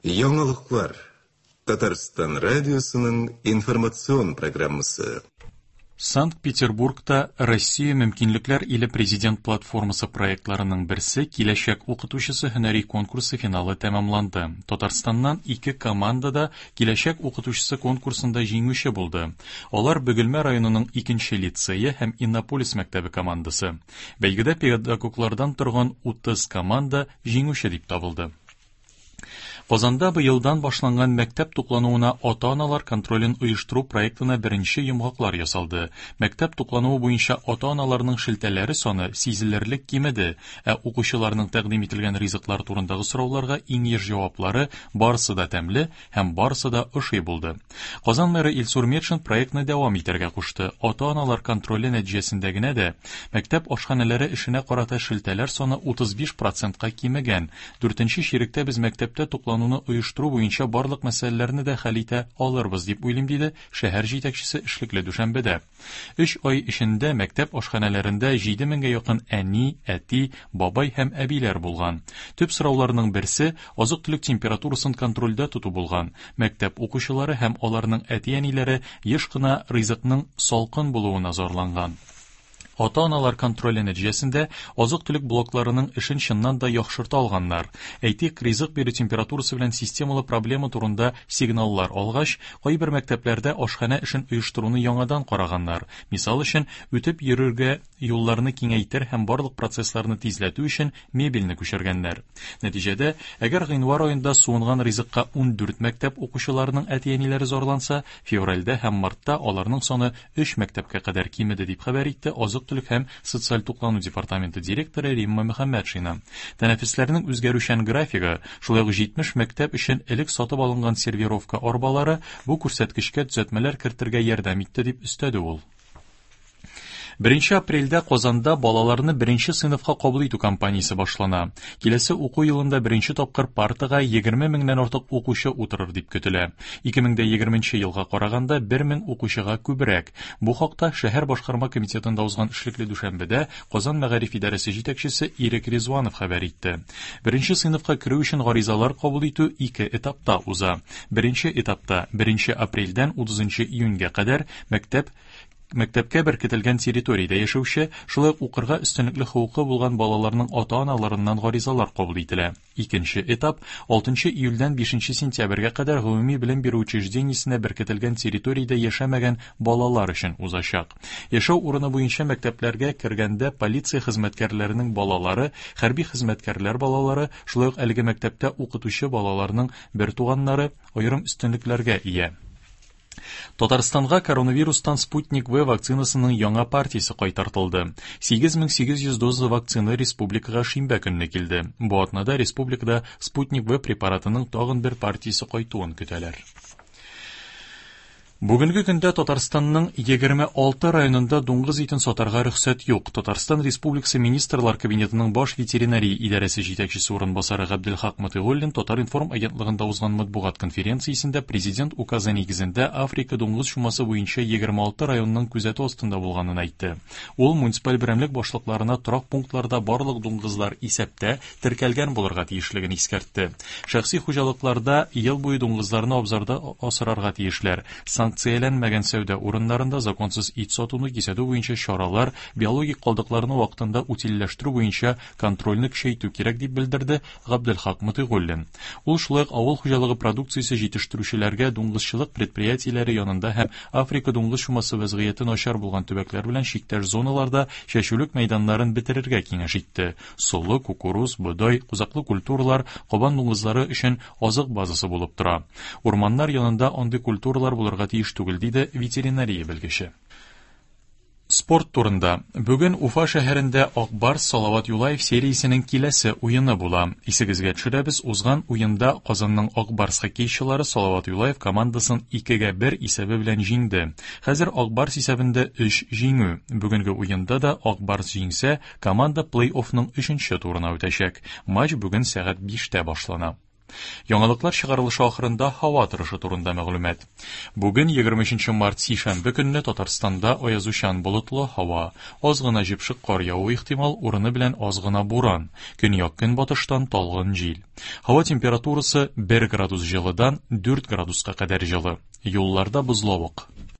Яңалыклар. Татарстан радиосының информацион программасы. Санкт-Петербургта Россия мөмкинлекләр иле президент платформасы проектларының берсе Киләчәк укытучысы һөнәри конкурсы финалы тәмамланды. Татарстаннан ике команда да Киләчәк укытучысы конкурсында җиңүче булды. Алар Бөгелмә районының икенче лицее һәм Иннополис мәктәбе командасы. Бәйгедә педагоглардан торган 30 команда җиңүче дип табылды. Казанда быелдан башланган мәктәп туклануына ата-аналар контролен оештыру проектына беренче йомгаклар ясалды. Мәктәп туклануы буенча ата-аналарның шелтәләре саны сизелерлек кимеде, ә укучыларның тәкъдим ителгән ризыклар турындагы сорауларга иң еш җаваплары барысы да тәмле һәм барысы да ошый булды. Казан мэры Илсур Метшин проектны дәвам итәргә кушты. Ата-аналар контроле нәтиҗәсендә генә дә мәктәп ашханәләре эшенә карата шелтәләр саны 35 процентка кимегән. Дүртенче чиректә без мәктәптә туклануны оештыру буенча барлык мәсьәләләрне дә хәл итә алырбыз, дип уйлыйм, диде шәһәр җитәкчесе эшлекле дүшәмбедә. Өч ай эчендә мәктәп ашханәләрендә 7 меңгә якын әни, әти, бабай һәм әбиләр булган. Төп сорауларның берсе азык-төлек температурасын контрольдә тоту булган. Мәктәп укучылары һәм аларның әти-әниләре еш кына ризыкның салкын булуына зарланган. Ата-аналар контроле нәтиҗәсендә азык-төлек блокларының эшен чыннан да яхшырта алганнар. Әйтик, ризык бирү температурасы белән системалы проблема турында сигналлар алгач, кайбер мәктәпләрдә ашханә эшен оештыруны яңадан караганнар. Мисал өчен, үтеп йөрергә юлларны киңәйтер һәм барлык процессларны тизләтү өчен мебельне күчергәннәр. Нәтиҗәдә, әгәр гыйнвар аенда суынган ризыкка 14 мәктәп укучыларының әти-әниләре зарланса, февральдә һәм мартта аларның саны өч мәктәпкә кадәр кимеде, дип хәбәр итте Азык-төлек һәм социаль туклану департаменты директоры Римма Мөхәммәтшина. Тәнәфесләрнең үзгәрүчән графигы, шулай ук 70 мәктәп өчен элек сатып алынган сервировка арбалары бу күрсәткечкә төзәтмәләр кертергә ярдәм итте, дип өстәде ул. Беренче апрельдә Казанда балаларны беренче сыйныфка кабул итү кампаниясе башлана. Киләсе уку елында беренче тапкыр партага 20 меңнән артык укучы утырыр дип көтелә. 2020 елга караганда 1 мең укучыга күбрәк. Бу хакта шәһәр башкарма комитетында узган эшлекле дүшәмбедә Казан мәгариф идарәсе җитәкчесе Ирек Ризванов хәбәр итте. Беренче сыйныфка керү өчен гаризалар кабул итү ике этапта уза. Беренче этапта 1 апрельдән 30 июньгә кадәр мәктәп Мәктәпкә беркетелгән территориядә яшәүче, шулай ук укырга өстенлекле хокукы булган балаларның ата-аналарыннан гаризалар кабул ителә. Икенче этап 6 июльдән 5 сентябрьгә кадәр гомуми белем бирү учреждениесенә беркетелгән территориядә яшәмәгән балалар өчен узачак. Яшәү урыны буенча мәктәпләргә кергәндә полиция хезмәткәрләренең балалары, хәрби хезмәткәрләр балалары, шулай ук әлеге мәктәптә укытучы балаларның бертуганнары аерым өстенлекләргә ия. Татарстанга коронавирустан Спутник V вакцинасының яңа партиясе кайтартылды. 8800 доза вакцина республикага шимбә көнне килде. Бу атнада республикада Спутник V препаратының тагын бер партиясе кайтуын көтәләр. Бүгенге көндә Татарстанның 26 районында дуңгыз итен сатарга рөхсәт юк. Татарстан Республикасы Министрлар Кабинетының баш ветеринария идарәсе җитәкчесе урынбасары Габделхак Мотыйгуллин Татар-информ агентлыгында узган матбугат конференциясендә Президент указы нигезендә Африка дуңгыз чумасы буенча 26 районның күзәтү астында булганын әйтте. Ул муниципаль берәмлек башлыкларына торак пунктларда барлык дуңгызлар исәптә, теркәлгән булырга тиешлеген искәртте. Шәхси хуҗалыкларда ел буе дуңгызларны абзарда асрарга тиешләр. Санкцияләнмәгән сәүдә урыннарында законсыз ит сатуны кисәтү буенча чаралар, биологик калдыкларны вакытында утильләштерү буенча контрольне көчәйтү кирәк, дип белдерде Габделхак Мотыйгуллин. Ул шулай ук авыл хуҗалыгы продукциясе җитештерүчеләргә дуңгызчылык предприятиеләре янында һәм Африка дуңгыз чумасы вәзгыяте начар булган төбәкләр белән чиктәш зоналарда чәчүлек мәйданнарын бетерергә киңәш итте. Солы, кукуруз, бодай, кузаклы культуралар кабан дуңгызлары өчен азык базасы булып тора. Урманнар янында андый культуралар булырга тиеш түгел, диде ветеринария белгече. Спорт турында. Бүген Уфа шәһәрендә Ак Барс Салават Юлаев сериясенең киләсе уены була. Исегезгә төшерәбез, узган уенда Казанның Ак Барс хоккейчылары Салават Юлаев командасын 2-гә 1 исәбе белән җиңде. Хәзер Ак Барс исәбендә 3 җиңү. Бүгенге уенда да Ак Барс җиңсә, команда плей-оффның өченче турына үтәчәк. Матч бүген сәгать 5-тә башлана. Яңалыклар чыгарылышы ахырында һава торышы турында мәгълүмат. Бүген 23 март сишәмбе көнне Татарстанда аязучан болытлы һава, аз гына җепшек кар явуы ихтимал, урыны белән аз гына буран, көньяк-көнбатыштан талгын җил. Һава температурасы 1 градус җылыдан 4 градуска кадәр җылы. Юлларда бозлавык.